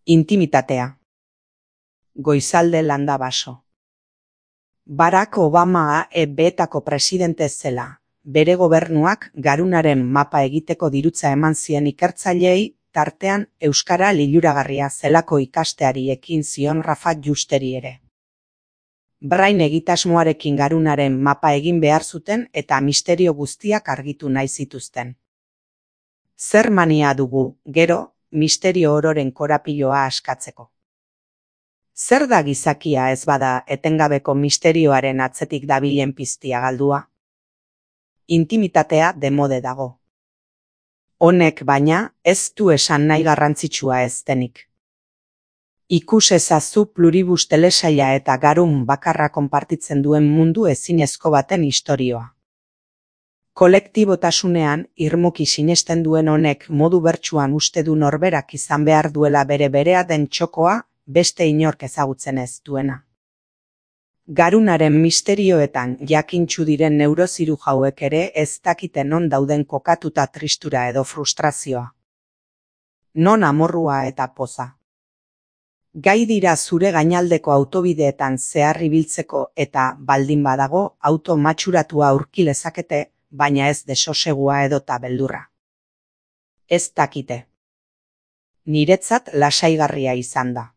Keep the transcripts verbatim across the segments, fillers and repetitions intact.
Intimitatea. Goizalde landa baso. Barack Obama E B-etako presidente zela, bere gobernuak garunaren mapa egiteko dirutza eman zien ikertzaileei, tartean euskara liluragarria zelako ikasteari ekin zion Rafa Justeri ere. Brain egitasmoarekin garunaren mapa egin behar zuten eta misterio guztiak argitu nahi zituzten. Zer mania dugu, gero, misterio ororen korapiloa askatzeko. Zer da gizakia ez bada etengabeko misterioaren atzetik dabilen piztia galdua? Intimitatea demode dago. Honek baina ez du esan nahi garrantzitsua ez denik. Ikus ezazu Pluribus telesaila eta garun bakarra konpartitzen duen mundu ezinezko baten istorioa. Kolektibotasunean irmoki sinesten duen honek modu bertsuan uste du norberak izan behar duela bere berea den txokoa, beste inork ezagutzen ez duena. Garunaren misterioetan jakintsu diren neurozirujauek ere ez dakite non dauden kokatuta tristura edo frustrazioa. Non amorrua eta poza. Gai dira zure gainaldeko autobideetan zehar ibiltzeko eta baldin badago auto matxuratua aurki lezakete, baina ez desosegua edota beldurra. Ez dakite. Niretzat lasaigarria izan da.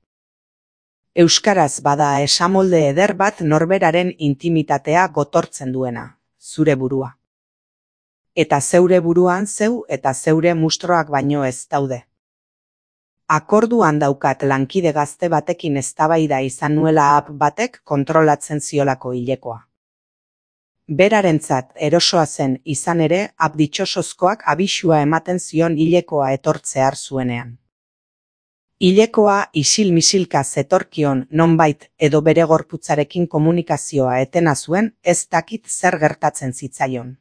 Euskaraz bada esamolde eder bat norberaren intimitatea gotortzen duena, zure burua. Eta zeure buruan zeu eta zeure mustroak baino ez daude. Akorduan daukat lankide gazte batekin eztabaida izan nuela app batek kontrolatzen ziolako hilekoa. Berarentzat erosoa zen izan ere app ditxosozkoak abisua ematen zion hilekoa etortzear zuenean. Hilekoa isil-misilka zetorkion nonbait edo bere gorputzarekin komunikazioa etena zuen ez dakit zer gertatzen zitzaion.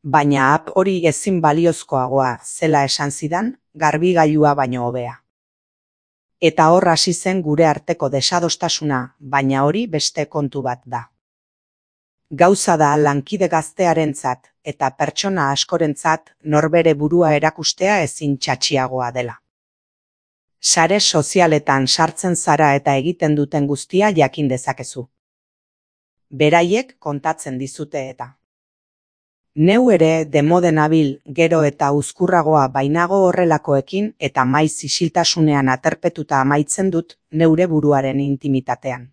Baina app hori ezin baliozkoagoa zela esan zidan, garbigailua baino hobea. Eta hor hasi zen gure arteko desadostasuna, baina hori beste kontu bat da. Gauza da lankide gaztearentzat eta pertsona askorentzat norbere burua erakustea ezin txatxiagoa dela. Sare sozialetan sartzen zara eta egiten duten guztia jakin dezakezu. Beraiek kontatzen dizute eta. Neu ere demode nabil gero eta uzkurragoa bainago horrelakoekin eta maiz isiltasunean aterpetuta amaitzen dut neure buruaren intimitatean.